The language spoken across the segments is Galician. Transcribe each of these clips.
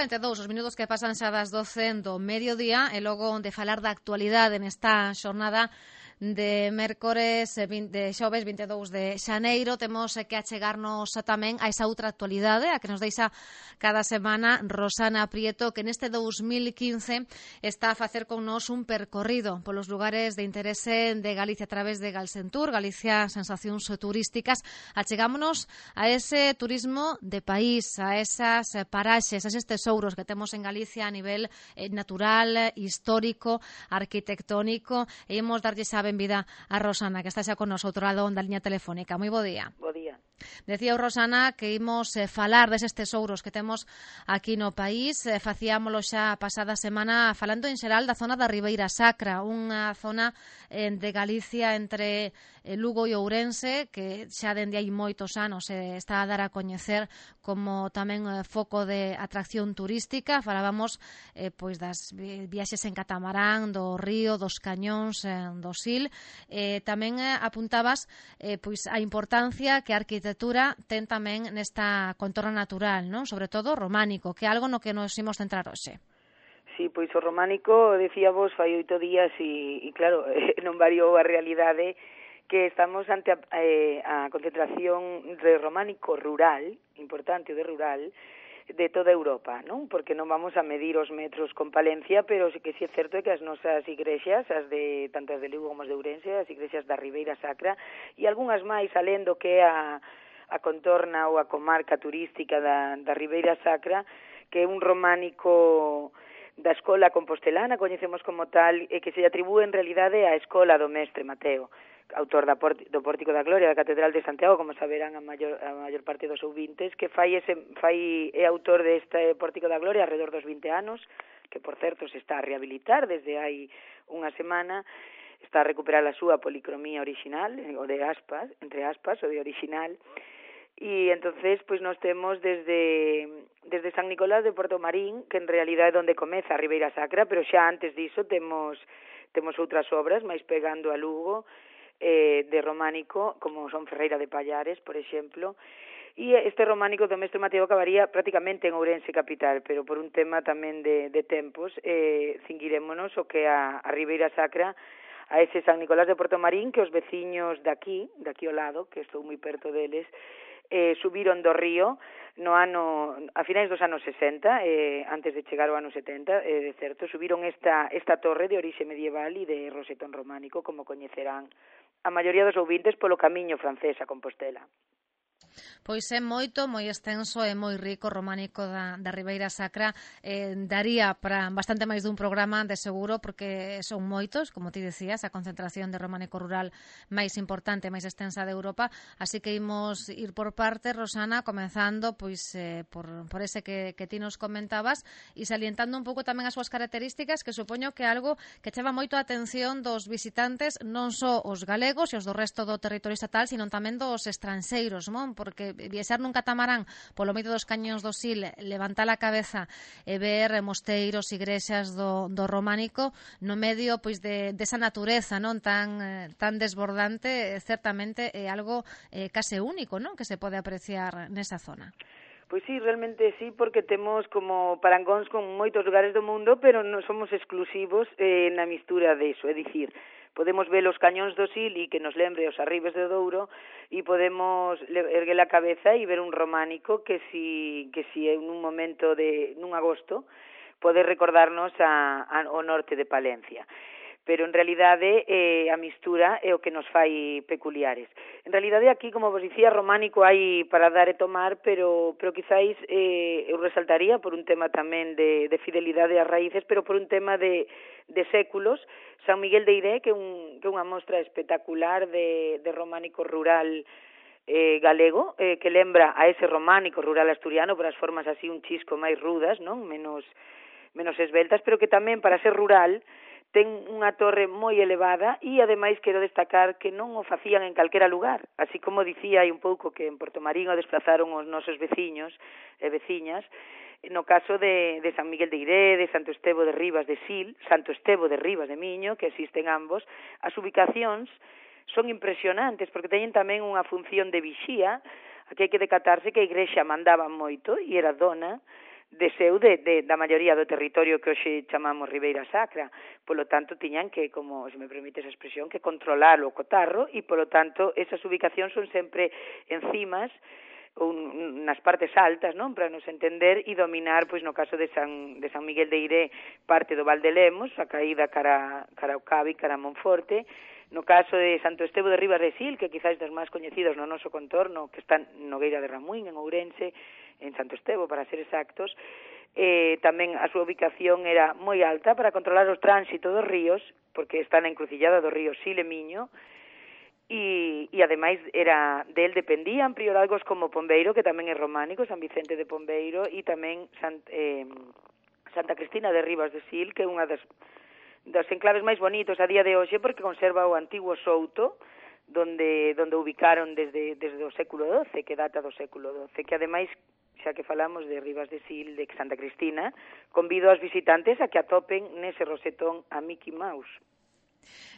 32 os minutos que pasan xa das 12 do mediodía e logo de falar da actualidade nesta xornada de mércores de xoves 22 de xaneiro temos que achegarnos tamén a esa outra actualidade a que nos deixa cada semana Rosana Prieto, que neste 2015 está a facer con nós un percorrido polos lugares de interese de Galicia a través de Galsentur, Galicia Sensacións Turísticas. Achegámonos a ese turismo de país, a esas paraxes, a eses tesouros que temos en Galicia a nivel natural, histórico, arquitectónico, e imos darlle a benvida a Rosana, que está xa con nosotros ao lado da liña telefónica. Moi bo día. Bo día. Decía Rosana que imos falar deses tesouros que temos aquí no país. Facíamolo xa a pasada semana falando en xeral da zona da Ribeira Sacra, unha zona de Galicia entre Lugo e Ourense que xa dende hai moitos anos está a dar a coñecer como tamén foco de atracción turística. Falábamos pois das viaxes en catamarán, do río, dos cañóns, do Sil. Tamén apuntabas pois a importancia que a arquitectura ten tamén nesta contorna natural, non? Sobre todo románico, que é algo no que nos imos centrar hoxe. Sí, pois o románico, decía vos, fai 8 días e claro, non variou a realidade que estamos ante a concentración de románico rural, importante de rural, de toda Europa, non? Porque non vamos a medir os metros con Palencia, pero sí que sí é certo que as nosas igrexas, tanto as de Lugo como as de Ourense, as igrexas da Ribeira Sacra, e algunhas máis alén do que é a contorna ou a comarca turística da Ribeira Sacra, que é un románico da escola compostelana, coñecemos como tal, e que se atribúe en realidade á escola do mestre Mateo, autor do Pórtico da Gloria da Catedral de Santiago, como saberán a maior parte dos ouvintes, que é autor deste Pórtico da Gloria alrededor dos 20 anos, que por certo se está a rehabilitar desde hai unha semana, está a recuperar a súa policromía original, o de aspas, entre aspas, o de original, e entonces pois nos temos desde San Nicolás de Portomarín, que en realidade é onde comeza a Ribeira Sacra, pero xa antes diso temos outras obras máis pegando a Lugo, de románico, como son Ferreira de Pallares, por exemplo, e este románico do mestre Mateo acabaría prácticamente en Ourense capital, pero por un tema tamén de tempos, cinguirémonos o que a Ribeira Sacra, a ese San Nicolás de Portomarín, que os veciños daqui ao lado, que estou moi perto deles, subiron do río a finais dos anos 60, antes de chegar ao ano 70, de certo, subiron esta torre de orixe medieval e de rosetón románico, como coñecerán a maioría dos ouvintes polo camiño francés a Compostela. Pois é moito, moi extenso e moi rico o románico da Ribeira Sacra. Daría para bastante máis dun programa, de seguro, porque son moitos, como ti decías, a concentración de románico rural máis importante, máis extensa de Europa. Así que imos ir por parte, Rosana, comenzando pois por ese que ti nos comentabas e salientando un pouco tamén as súas características, que supoño que é algo que chama moito a atención dos visitantes, non só os galegos e os do resto do territorio estatal, sino tamén dos estranxeiros, non? Porque viaxar nun catamarán polo medio dos cañóns do Sil, levantar a cabeza e ver mosteiros, igrexas do románico no medio pois desa natureza, non tan desbordante, certamente é algo case único, non? Que se pode apreciar nesa zona. Pois sí, realmente sí, porque temos como parangóns con moitos lugares do mundo, pero non somos exclusivos na mistura deso, é dicir, podemos ver os cañóns do Sil e que nos lembre os arribes do Douro e podemos erguer a cabeza e ver un románico que si en un momento nun agosto pode recordarnos ao norte de Palencia. Pero en realidade a mistura é o que nos fai peculiares. En realidade aquí, como vos dicía, románico hai para dar e tomar, pero quizáis eu resaltaría por un tema tamén de fidelidade ás raíces, pero por un tema de séculos, San Miguel de Iré, que é unha mostra espectacular de románico rural galego, que lembra a ese románico rural asturiano por as formas así un chisco máis rudas, non? Menos esveltas, pero que tamén para ser rural ten unha torre moi elevada e, ademais, quero destacar que non o facían en calquera lugar. Así como dicía hai un pouco que en Portomarín o desplazaron os nosos veciños e veciñas, no caso de San Miguel de Iré, de Santo Estevo de Ribas de Sil, Santo Estevo de Ribas de Miño, que existen ambos, as ubicacións son impresionantes porque teñen tamén unha función de vixía. Aquí hai que decatarse que a igrexa mandaba moito e era dona da maioría do territorio que hoxe chamamos Ribeira Sacra. Polo tanto, tiñan que, como se me permite esa expresión, que controlalo o cotarro, e polo tanto, esas ubicacións son sempre encimas ou nas partes altas, non, para nos entender e dominar, pois no caso de San Miguel de Iré, parte do Val de Lemos, a caída cara ao Cabi, cara a Monforte. No caso de Santo Estevo de Ribas de Sil, que quizás das máis coñecidos no noso contorno, que está en Nogueira de Ramuín, en Ourense, en Santo Estevo, para ser exactos, tamén a súa ubicación era moi alta para controlar o tránsito dos ríos, porque está na encrucillada do río Sil e Miño, e ademais del dependían prioralgos como Pombeiro, que tamén é románico, San Vicente de Pombeiro, e tamén Santa Cristina de Ribas de Sil, que é unha das enclaves máis bonitos a día de hoxe, porque conserva o antigo souto donde ubicaron desde o século XII, que data do século XII, que ademais, xa que falamos de Ribas de Sil, de Santa Cristina, convido aos visitantes a que atopen nese rosetón a Mickey Mouse.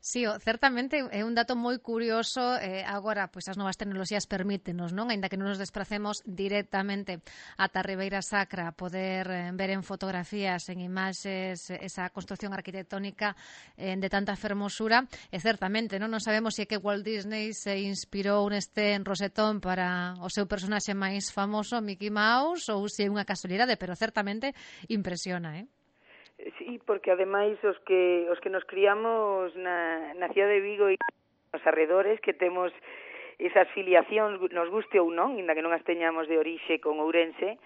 Sí, certamente é un dato moi curioso. Agora, pois as novas tecnoloxías permítenos, non? Aínda que non nos despracemos directamente ata Ribeira Sacra, poder ver en fotografías, en imaxes, esa construción arquitectónica de tanta fermosura. E certamente, non sabemos se é que Walt Disney se inspirou neste rosetón para o seu personaxe máis famoso, Mickey Mouse, ou se é unha casualidade, pero certamente impresiona, Sí, porque ademais os que nos criamos na cidade de Vigo e nos arredores, que temos esas filiacións, nos guste ou non, inda que non as teñamos de orixe con Ourense,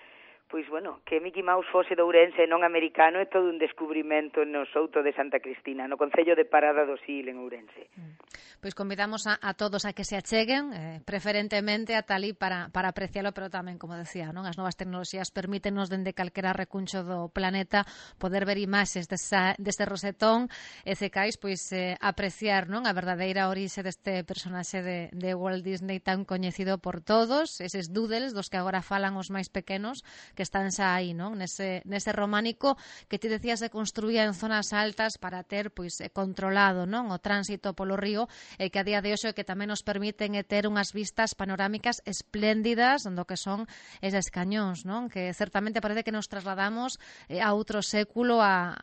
pois, bueno, que Mickey Mouse fose de Ourense e non americano é todo un descubrimento no souto de Santa Cristina, no concello de Parada do Sil, en Ourense. Pois convidamos a todos a que se acheguen, preferentemente ata ali para aprecialo, pero tamén, como decía, non, as novas tecnoloxías permítenos dende calquera recuncho do planeta poder ver imaxes deste rosetón e secais, pois apreciar, non, a verdadeira orixe deste personaxe de Walt Disney tan coñecido por todos, eses doodles dos que agora falan os máis pequenos, que están xa aí, non? Nese románico que ti decías se construía en zonas altas para ter pois controlado, non, o tránsito polo río, e que a día de hoxe que tamén nos permiten ter unhas vistas panorámicas espléndidas do que son eses cañóns, non? Que certamente parece que nos trasladamos a outro século, a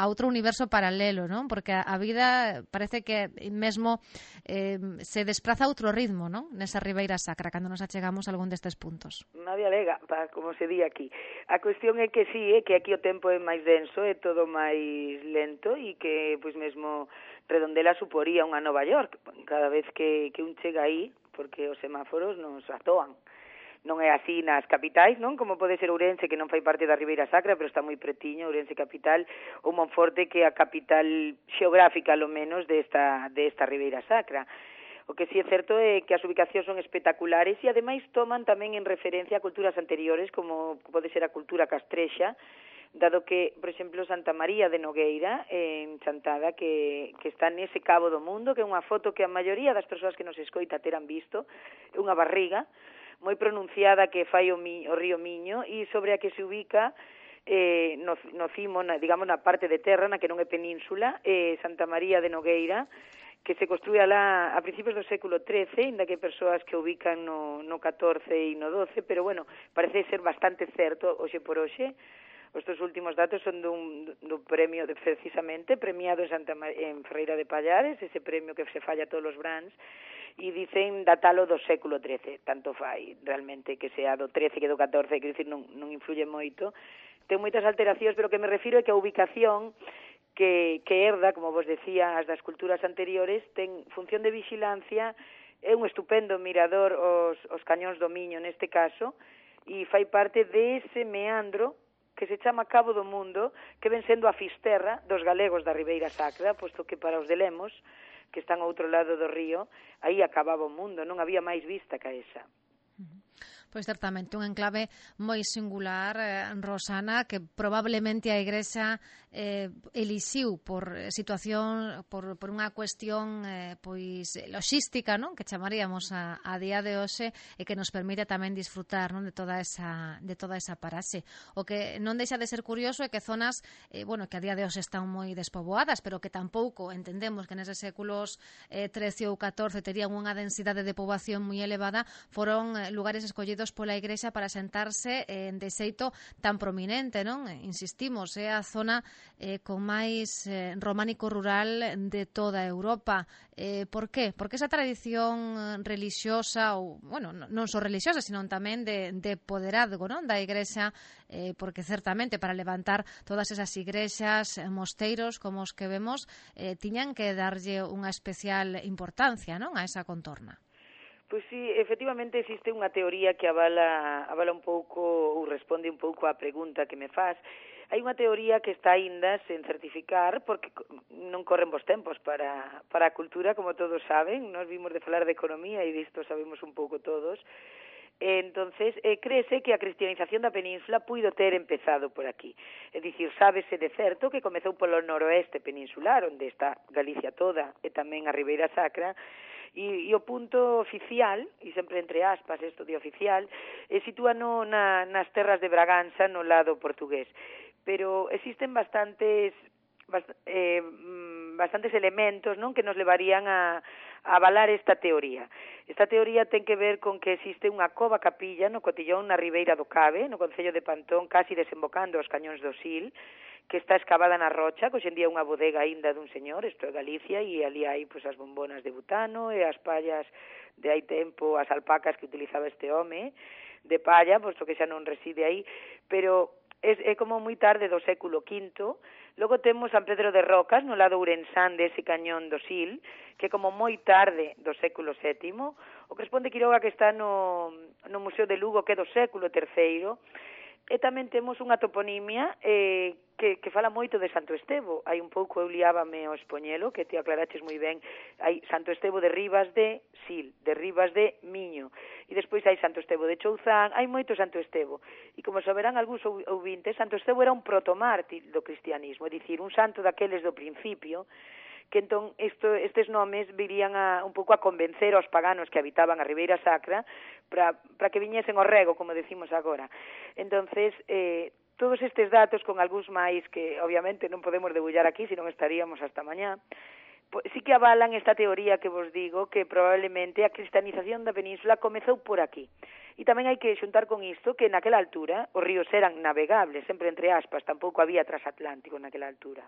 outro universo paralelo, non? Porque a vida parece que mesmo se despraza a outro ritmo, non? Nesa Ribeira Sacra, cando nos achegamos a algún destes puntos. Nadie alega, como se di aquí. A cuestión é que sí, que aquí o tempo é máis denso, é todo máis lento e que, pois mesmo, Redondela suporía unha Nova York cada vez que un chega aí, porque os semáforos nos atoan. Non é así nas capitais, non? Como pode ser Ourense, que non fai parte da Ribeira Sacra, pero está moi pretiño, Ourense capital, ou Monforte, que é a capital xeográfica, lo menos, desta Ribeira Sacra. O que sí é certo é que as ubicacións son espectaculares e ademais toman tamén en referencia a culturas anteriores, como pode ser a cultura castrexa, dado que, por exemplo, Santa María de Nogueira, en Chantada, que está nese cabo do mundo, que é unha foto que a maioría das persoas que nos escoita terán visto, é unha barriga moi pronunciada que fai o río Miño e sobre a que se ubica no cimo, digamos, na parte de terra, na que non é península, Santa María de Nogueira, que se construía lá a principios do século XIII, inda que hai persoas que ubican no XIV e no XII, pero, bueno, parece ser bastante certo, hoxe por hoxe. Estes últimos datos son dun premio, precisamente, premiado en Ferreira de Pallares, ese premio que se falla a todos os brands, e dicen datalo do século XIII, tanto fai realmente que sea do XIII que do XIV, que dicir, non influye moito. Ten moitas alteracións, pero que me refiro é que a ubicación que herda, como vos decía, as das culturas anteriores, ten función de vigilancia, é un estupendo mirador os cañóns do Miño neste caso, e fai parte dese meandro que se chama Cabo do Mundo, que ven sendo a fisterra dos galegos da Ribeira Sacra, posto que para os de Lemos, que están ao outro lado do río, aí acababa o mundo, non había máis vista que esa. Pois certamente un enclave moi singular, Rosana, que probablemente a Igrexa elixiu por situación, por unha cuestión pois loxística, non? Que chamaríamos a día de hoxe, e que nos permite tamén disfrutar, non, de toda esa paraxe. O que non deixa de ser curioso é que zonas que a día de hoxe están moi despoboadas, pero que tampouco entendemos que neses séculos XIII ou XIV terían unha densidade de poboación moi elevada, foron lugares escollidos escollidos pola Igrexa para sentarse de xeito tan prominente, non? Insistimos, é a zona con máis románico rural de toda Europa. Por qué? Porque esa tradición relixiosa, ou, bueno, non só relixiosa, sino tamén de poderazgo, non? Da Igrexa, porque certamente para levantar todas esas igrexas, mosteiros, como os que vemos, tiñan que darlle unha especial importancia, non? A esa contorna. Pois sí, efectivamente existe unha teoría que avala un pouco ou responde un pouco á pregunta que me faz. Hai unha teoría que está aínda sen certificar porque non corren bons tempos para a cultura, como todos saben. Nos vimos de falar de economía e disto sabemos un pouco todos. Entonces, créese que a cristianización da península puido ter empezado por aquí. É dicir, sábese de certo que comezou polo noroeste peninsular, onde está Galicia toda, e tamén a Ribeira Sacra, e o punto oficial, e sempre entre aspas isto de oficial, sitúa nas terras de Braganza, no lado portugués. Pero existen bastantes elementos, non, que nos levarían a avalar esta teoría. Esta teoría ten que ver con que existe unha cova capilla no Cotillón, na Ribeira do Cabe, no concello de Pantón, casi desembocando os cañóns do Sil, que está escavada na rocha, que hoxe en día é unha bodega aínda dun señor, isto é Galicia, e ali hai pois, as bombonas de butano e as pallas de hai tempo, as alpacas que utilizaba este home, de palla, posto que xa non reside aí, pero é como moi tarde do século V. Logo temos San Pedro de Rocas, no lado ourensán dese cañón do Sil, que como moi tarde do século VII. O Cresponte Quiroga, que está no Museo de Lugo, que é do século III. E tamén temos unha toponimia que fala moito de Santo Estevo. Hai un pouco, eu liábame ao Expoñelo, que te aclaraches moi ben. Hai Santo Estevo de Rivas de Sil, de Rivas de Miño. E despois hai Santo Estevo de Chouzán, hai moito Santo Estevo. E como saberán algúns ouvintes, Santo Estevo era un protomártir do cristianismo, é dicir, un santo daqueles do principio, que entón estes nomes virían un pouco a convencer aos paganos que habitaban a Ribeira Sacra para que viñesen ao rego, como decimos agora. Entonces, todos estes datos con algúns máis que obviamente non podemos debullar aquí, senón estaríamos hasta mañá, sí que avalan esta teoría que vos digo, que probablemente a cristianización da península comezou por aquí. E tamén hai que xuntar con isto que naquela altura os ríos eran navegables, sempre entre aspas, tampouco había transatlántico naquela altura.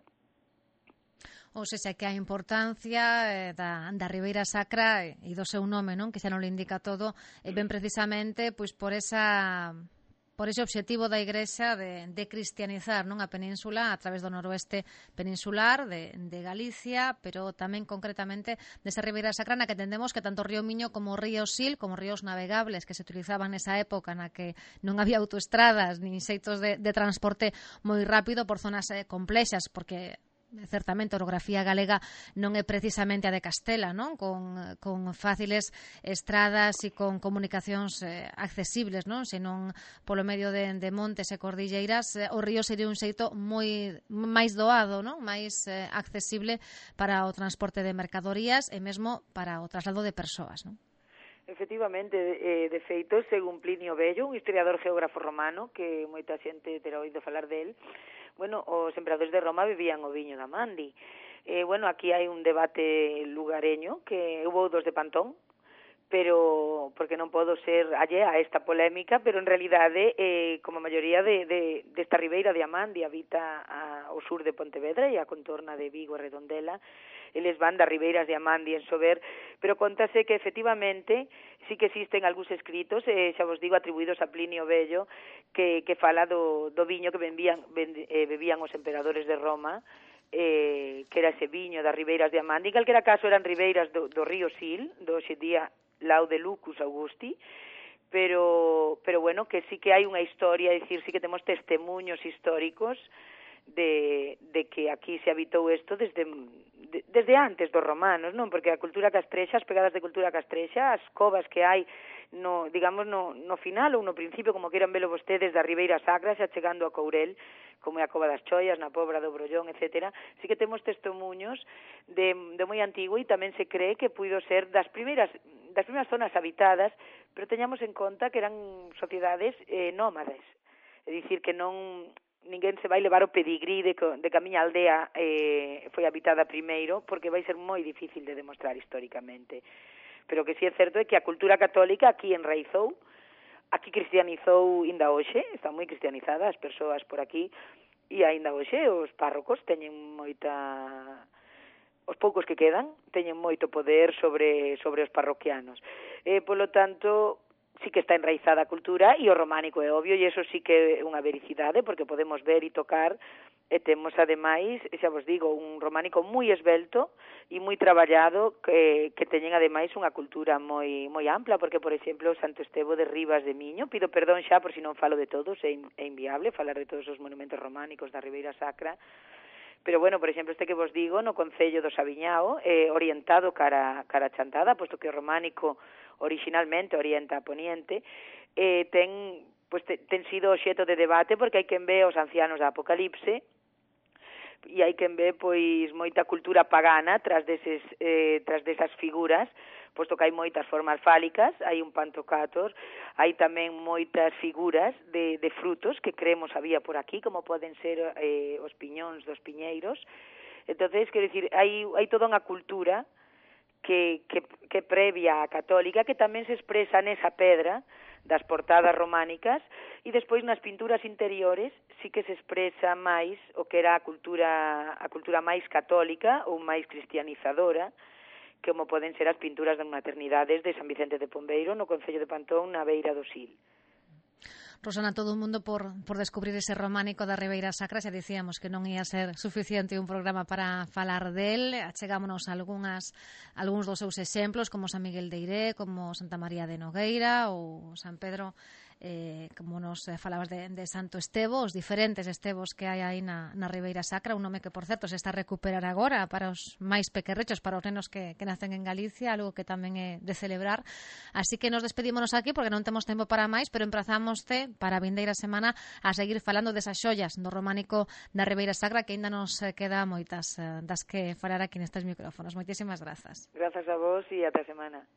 Ou seja, que a importancia da Ribeira Sacra e do seu nome, non, que xa non lo indica todo, ben precisamente pois por ese obxectivo da Igrexa de cristianizar, non, a península a través do noroeste peninsular de Galicia, pero tamén concretamente desa Ribeira Sacra na que entendemos que tanto o río Miño como o río Sil, como ríos navegables que se utilizaban nesa época na que non había autoestradas nin xeitos de transporte moi rápido por zonas complexas, porque certamente a orografía galega non é precisamente a de Castela, non? Con fáciles estradas e con comunicacións accesibles, non? Senón polo medio de montes e cordilleiras, o río sería un xeito moi máis doado, non? Máis accesible para o transporte de mercadorías e mesmo para o traslado de persoas, non? Efectivamente, de feito, según Plinio Bello, un historiador geógrafo romano, que moita xente terá oído falar del, bueno, os emperadores de Roma bebían o viño da Mandi. Bueno, aquí hai un debate lugareño, que hubo dos de Pantón, pero porque non podo ser allea a esta polémica, pero en realidade, como a maioría desta ribeira de Amandi habita ao sur de Pontevedra e a contorna de Vigo e Redondela, eles van das ribeiras de Amandi en Sober, pero contase que efectivamente sí que existen algúns escritos, xa vos digo, atribuídos a Plinio Bello, que fala do viño que bebían os emperadores de Roma, que era ese viño das ribeiras de Amandi. En calquera caso eran ribeiras do río Sil, do hoxe día Lao de Lucus Augusti, pero bueno, que sí que hai unha historia, é dicir, sí que temos testemunhos históricos de que aquí se habitou isto desde antes dos romanos, non? Porque a cultura castrexa, as pegadas de cultura castrexa, as covas que hai no final ou no principio, como queiran velo vostedes, da Ribeira Sacra, xa chegando a Courel, como é a Cova das Choias, na Pobra do Brollón, etc. Sí que temos testemunhos de moi antigo e tamén se cree que puido ser das primeiras zonas habitadas, pero teñamos en conta que eran sociedades nómades. É dicir, que ninguén se vai levar o pedigrí de que a miña aldea foi habitada primeiro, porque vai ser moi difícil de demostrar históricamente. Pero que sí é certo é que a cultura católica aquí enraizou aquí cristianizou inda hoxe, está moi cristianizada as persoas por aquí, e aínda hoxe os párrocos teñen moita... Os poucos que quedan teñen moito poder sobre os parroquianos. Polo tanto, sí que está enraizada a cultura, e o románico é obvio, e eso sí que é unha vericidade, porque podemos ver e tocar, e temos, ademais, xa vos digo, un románico moi esbelto e moi traballado, que teñen, ademais, unha cultura moi ampla, porque, por exemplo, Santo Estevo de Rivas de Miño, pido perdón xa por si non falo de todos, é inviable falar de todos os monumentos románicos da Ribeira Sacra, pero, bueno, por exemplo, este que vos digo, no Concello do Sabiñao, orientado cara a Chantada, posto que o románico originalmente orienta a Poniente, ten sido obxeto de debate, porque hai quen ve os ancianos da Apocalipse, e hai quen ve, pois, moita cultura pagana tras desas figuras, posto que hai moitas formas fálicas, hai un pantocrator, hai tamén moitas figuras de frutos que creemos había por aquí, como poden ser os piñóns dos piñeiros. Entonces, quero dicir, hai toda unha cultura que previa a católica, que tamén se expresa nesa pedra das portadas románicas, e despois nas pinturas interiores sí que se expresa máis o que era a cultura máis católica ou máis cristianizadora, como poden ser as pinturas das maternidades de San Vicente de Pombeiro no Concello de Pantón, na beira do Sil. Rosana, todo o mundo por descubrir ese románico da Ribeira Sacra. Xa dicíamos que non ia ser suficiente un programa para falar del. Achegámonos a algúns dos seus exemplos, como San Miguel de Iré, como Santa María de Nogueira ou San Pedro, como nos falabas de Santo Estevo, os diferentes estevos que hai aí na Ribeira Sacra, un nome que, por certo, se está a recuperar agora para os máis pequerrechos, para os nenos que nacen en Galicia, algo que tamén é de celebrar. Así que nos despedímonos aquí, porque non temos tempo para máis, pero emprazámoste para a vindeira semana a seguir falando desas xollas do románico da Ribeira Sacra, que ainda nos queda moitas das que falar aquí nestes micrófonos. Moitísimas grazas. Grazas a vos e ata a semana.